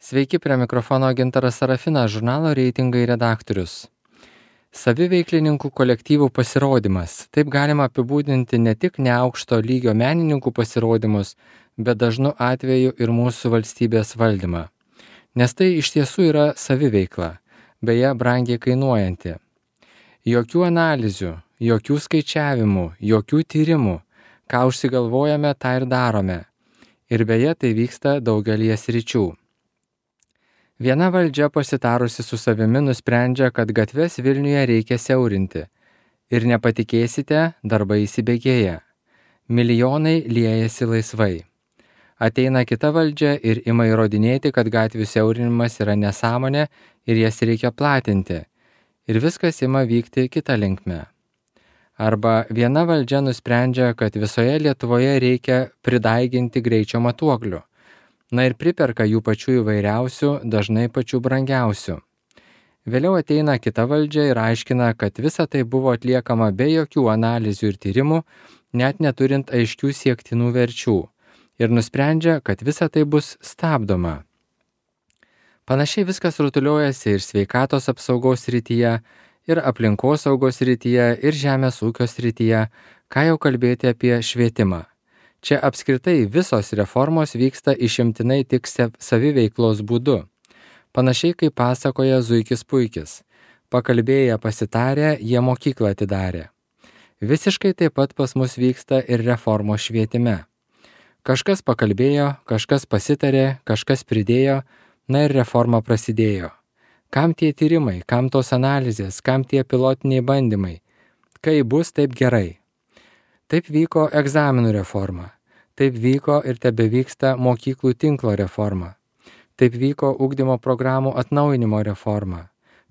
Sveiki, prie mikrofono Gintaras Sarafinas, žurnalo Reitingai redaktorius. Saviveiklininkų kolektyvų pasirodymas. Taip galima apibūdinti ne tik neaukšto lygio menininkų pasirodymus, bet dažnu atveju ir mūsų valstybės valdymą. Nes tai iš tiesų yra saviveikla, beje, brangiai kainuojanti. Jokių analizių, jokių skaičiavimų, jokių tyrimų. Ką užsigalvojame, tą ir darome. Ir beje, tai vyksta daugelį sričių. Viena valdžia pasitarusi su savimi nusprendžia, kad gatves Vilniuje reikia siaurinti. Ir nepatikėsite, darbai įsibėgėja. Milijonai liejasi laisvai. Ateina kita valdžia ir ima įrodinėti, kad gatvių siaurinimas yra nesąmonė ir jas reikia platinti. Ir viskas ima vykti kita linkme. Arba viena valdžia nusprendžia, kad visoje Lietuvoje reikia pridaiginti greičio matuoklių. Na ir priperka jų pačių įvairiausių, dažnai pačių brangiausių. Vėliau ateina kita valdžia ir aiškina, kad visa tai buvo atliekama be jokių analizių ir tyrimų, net neturint aiškių siektinų verčių. Ir nusprendžia, kad visa tai bus stabdoma. Panašiai viskas rutuliojasi ir sveikatos apsaugos srityje, ir aplinkosaugos srityje, ir žemės ūkio srityje, ką jau kalbėti apie švietimą. Čia apskritai visos reformos vyksta išimtinai tik saviveiklos būdu. Panašiai kaip pasakoja Zuikis Puikis. Pakalbėję pasitarę, jie mokyklą atidarė. Visiškai taip pat pas mus vyksta ir reformos švietime. Kažkas pakalbėjo, kažkas pasitarė, kažkas pridėjo, na ir reforma prasidėjo. Kam tie tyrimai, kam tos analizės, kam tie pilotiniai bandymai? Kai bus, taip gerai. Taip vyko egzaminų reforma. Taip vyko ir tebevyksta mokyklų tinklo reforma. Taip vyko ugdymo programų atnaujinimo reforma.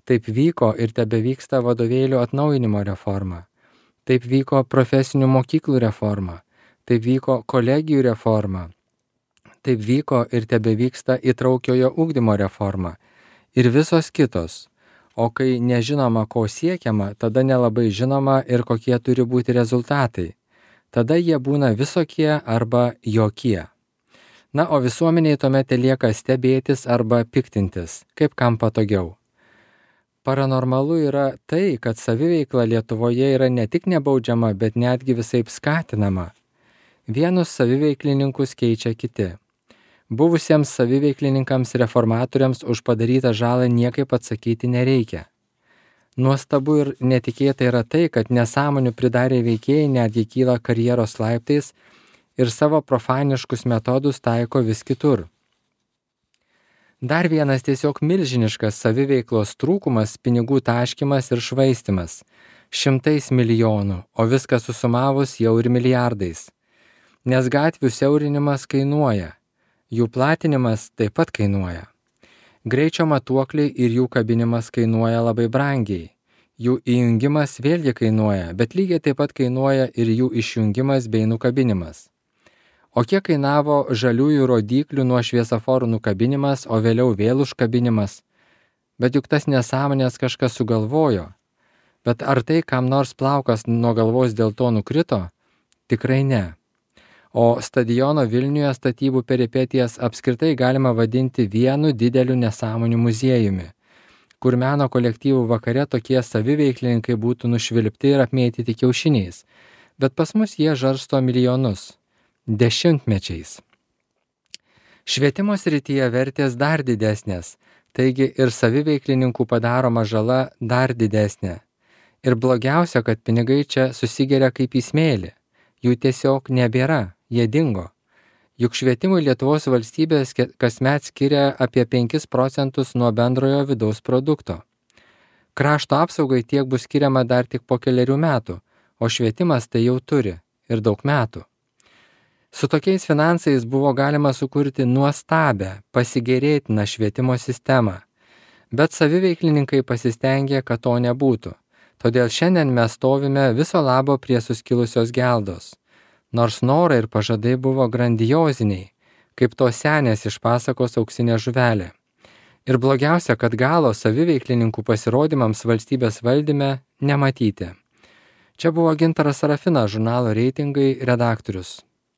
Taip vyko ir tebevyksta vadovėlių atnaujinimo reforma. Taip vyko profesinių mokyklų reforma. Taip vyko kolegijų reforma. Taip vyko ir tebevyksta įtraukiojo ugdymo reforma. Ir visos kitos. O kai nežinoma, ko siekiama, tada nelabai žinoma ir kokie turi būti rezultatai. Tada jie būna visokie arba jokie. Na, o visuomeniai tuomet lieka stebėtis arba piktintis, kaip kam patogiau. Paranormalu yra tai, kad saviveikla Lietuvoje yra ne tik nebaudžiama, bet netgi visaip skatinama. Vienus saviveiklininkus keičia kiti. Buvusiems saviveiklininkams reformatoriams už padarytą žalą niekaip atsakyti nereikia. Nuostabu ir netikėta yra tai, kad nesąmonių pridarę veikėjai netgi kyla karjeros laiptais ir savo profaniškus metodus taiko vis kitur. Dar vienas tiesiog milžiniškas saviveiklos trūkumas - pinigų taškymas ir švaistimas. 100 milijonų, o viską susumavus jau ir milijardais. Nes gatvių siaurinimas kainuoja. Jų platinimas taip pat kainuoja. Greičio matuokliai ir jų kabinimas kainuoja labai brangiai. Jų įjungimas vėlgi kainuoja, bet lygiai taip pat kainuoja ir jų išjungimas bei nukabinimas. O kiek kainavo žaliųjų rodyklių nuo šviesoforų nukabinimas, o vėliau vėl užkabinimas? Bet juk tas nesąmonės kažkas sugalvojo. Bet ar tai kam nors plaukas nuo galvos dėl to nukrito? Tikrai ne. O stadiono Vilniuje statybų peripetijas apskritai galima vadinti vienu dideliu nesąmonių muziejumi, kur meno kolektyvų vakare tokie saviveiklininkai būtų nušvilpti ir apmėtyti kiaušiniais, bet pas mus jie žarsto milijonus. Dešimtmečiais. Švietimo srityje vertės dar didesnės, taigi ir saviveiklininkų padaroma žala dar didesnė. Ir blogiausia, kad pinigai čia susigeria kaip į smėlį, jų tiesiog nebėra. Jie dingo. Juk švietimui Lietuvos valstybės kasmet skiria apie 5 procentus nuo bendrojo vidaus produkto. Krašto apsaugai tiek bus skiriama dar tik po kelerių metų, o švietimas tai jau turi ir daug metų. Su tokiais finansais buvo galima sukurti nuostabią, pasigėrėtiną švietimo sistemą, bet saviveiklininkai pasistengė, kad to nebūtų. Todėl šiandien mes stovime viso labo prie suskilusios geldos. Nors norai ir pažadai buvo grandioziniai, kaip tos senės iš pasakos Auksinė žuvelė. Ir blogiausia, kad galo saviveiklininkų pasirodymams valstybės valdyme nematyti. Čia buvo Gintaras Sarafinas, žurnalo Reitingai redaktorius.